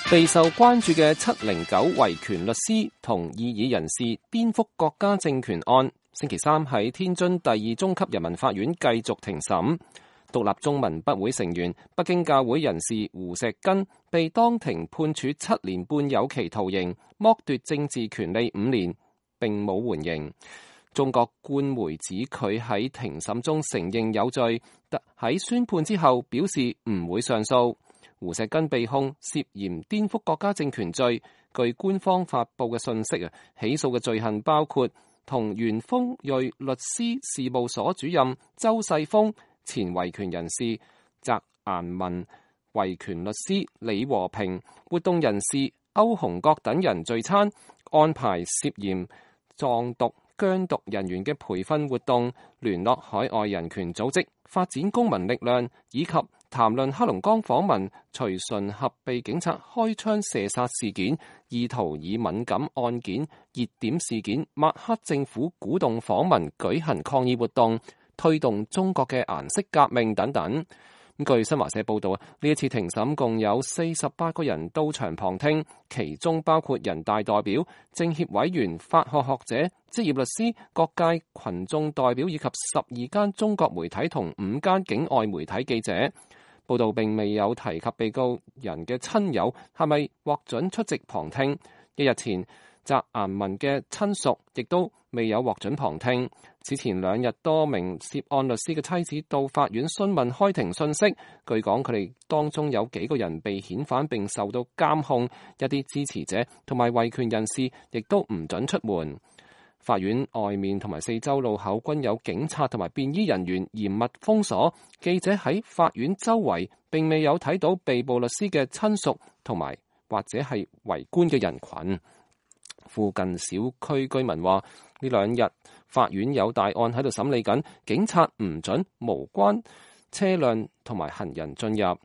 備受關注嘅709維權律師同異議人士顛覆國家政權案，星期三喺天津第二中級人民法院繼續庭審。獨立中文筆會成員、北京教會人士胡錫根被當庭判處7年半有期徒刑，剝奪政治權利5年，並冇緩刑。中國官媒指佢喺庭審中承認有罪，但喺宣判之後表示唔會上訴。胡錫根被控涉嫌顛覆國家政權罪，據官方發布嘅信息，起訴嘅罪行包括同原豐瑞律師事務所主任周世峰、前維權人士翟顏文、維權律師李和平、活動人士歐洪國等人聚餐，安排涉嫌藏獨疆獨人員嘅培訓活動，聯絡海外人權組織，發展公民力量，以及談論黑龍江訪民隨順合被警察開槍射殺事件，意圖以敏感案件、熱點事件抹黑政府，鼓動訪民舉行抗議活動，推動中國嘅顏色革命等等。據新華社報道，呢一次庭審共有48個人到場旁聽，其中包括人大代表、政協委員、法學學者、職業律師、各界群眾代表以及12間中國媒體同5間境外媒體記者。報道並未有提及被告人嘅親友係咪獲准出席旁聽。一日前，翟顏文嘅親屬亦都未有獲准旁聽。此前2日，多名涉案律師嘅妻子到法院詢問開庭信息，據講佢哋當中有幾個人被遣返並受到監控，一啲支持者同埋維權人士亦都唔准出門。法院外面同埋4周路口均有警察同埋便衣人員嚴密封鎖，記者喺法院周圍並未有睇到被捕律師嘅親屬同埋或者係圍觀嘅人群。附近小區居民話，呢2日法院有大案喺度審理緊，警察唔准無關車輛同埋行人進入。